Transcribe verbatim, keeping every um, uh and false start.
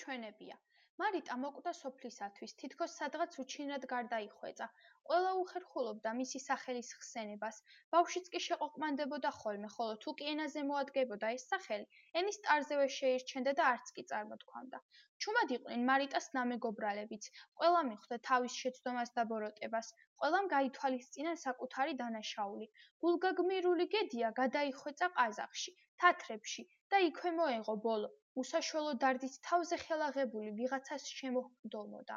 ჩვენებია. მარიტა მოკვდა სოფლისათვის, თითქოს სადღაც უჩინრად გარდაიხვეწა. ყველა უხერხულობდა მისი სახელის ხსენებას. ბავშვიც კი შეყოყმანდებოდა ხოლმე, ხოლო თუ კი ენაზე მოადგებოდა ეს სახელი, ენის ტარზევე შეირჩენდა და არც კი წარმოთქვამდა. ჩუმად იყვნენ მარიტას ნამეგობრალებიც. ყველა მიხვდა თავის შეცდომას და ბოროტებას. ყველამ გაითვალისწინა საკუთარი დანაშაული. გულგაგმირული გედია გადაიხვეწა ყაზახში, თათრებში და იქვე მოეღო ბოლო. უსაშველო დარდით თავზე ხელაღებული ვიღაცას შემოჰკდომოდა.